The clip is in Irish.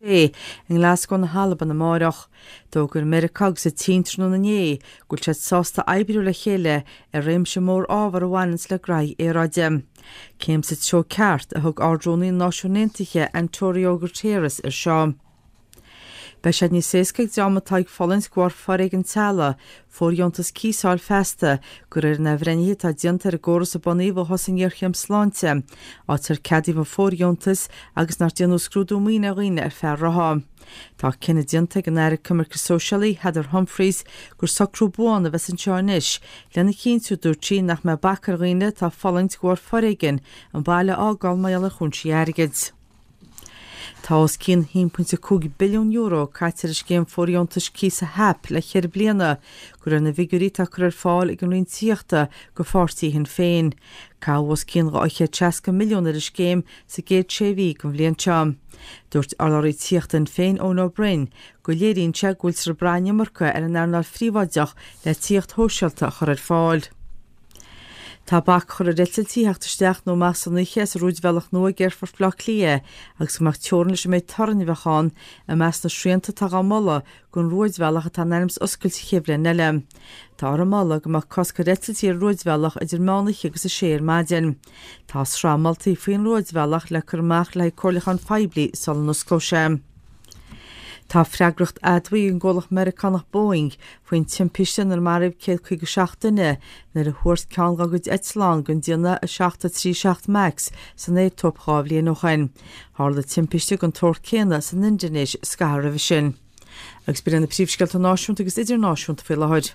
I nGlasgow na hAlban amáireach. D'fhógair Meiriceá agus an tSín tráthnóna inné go bhfuil siad sásta oibriú le chéile ar réimse mór ábhar a bhaineanns le graithí aeráide. Céim sa treo ceart a thug Ard-Rúnaí na Náisiún Aontaithe Antório Guterres air seo. Beidh sé níos éasca ag dream atá ag fulaingt de bharr foréigean teaghlaigh fóirdheontas cíosa a fháil feasta, de réir an athbhreithnithe atá déanta ar an gcóras a bunaíodh ó thosaigh an ghéarchéim sláinte, áit ar ceadaíodh an fóirdheontas agus nár déanadh scrúdú maoine ar dhaoine ar feadh rátha. Tá cinneadh déanta ag an Aire Coimirce Sóisialaí, Heather Humphreys, gur socrú buan a bheas anseo anois, lena chinntiú, dúirt sí, nach mbeidh bac ar dhaoine atá ag fulaingt de bharr foréigin an baile a fhágáil mar gheall ar chúinsí airgid. Tá os cionn €1.5 billiún caite ar an scéim fóirdheontais cíosa HAP le ceithre bliana, de réir na bhfigiúirí atá curtha ar fáil ag an Roinn Tithíochta do pháirtí Shinn Féin. Caitheadh os cionn 260 milliún ar an scéim sa gcéad sé mhí den bhliain seo. Dúirt urlabhraí tithíochta Shinn Féin, Eoin Ó Broin, go léiríonn sé go bhfuiltear ag brath an iomarca ar an earnáil phríobháideach le tithíocht shóisialta a chur ar fáil. Tá bac curtha ar eitiltí a theacht isteach nó amach san oíche as an rúidbhealach nua ag Aerfort Bhaile Átha Cliath agus go mbeadh teorainn leis an méid torainn a bheadh ann i measc na srianta atá dhá moladh don rúidbhealach atá in ainm is oscailt an chéad bhliain eile. Táthar ag moladh go mbeadh cosc ar eitiltí ar an rúidbhealach idir meán oíche agus a sé ar maidin. Tá sraith moltaí faoin rúidbhealach le cur amach le haghaidh comhairliúcháin phoiblí sula n-osclóidh sé. Tá freagracht admhaithe ag an gcomhlacht Meiriceánach Boeing faoin timpiste inar maraíodh 157 duine nuair a thuairt ceann dá gcuid eitleán den déanamh 737 Max san Aetóip 2 bhliain ó shin. Tharla timpiste den tsórt céanna san Indinéis scaitheamh roimhe sin. Agus b'in iad na príomhscéalta náisiúnta agus idirnáisiúnta faoi láthair.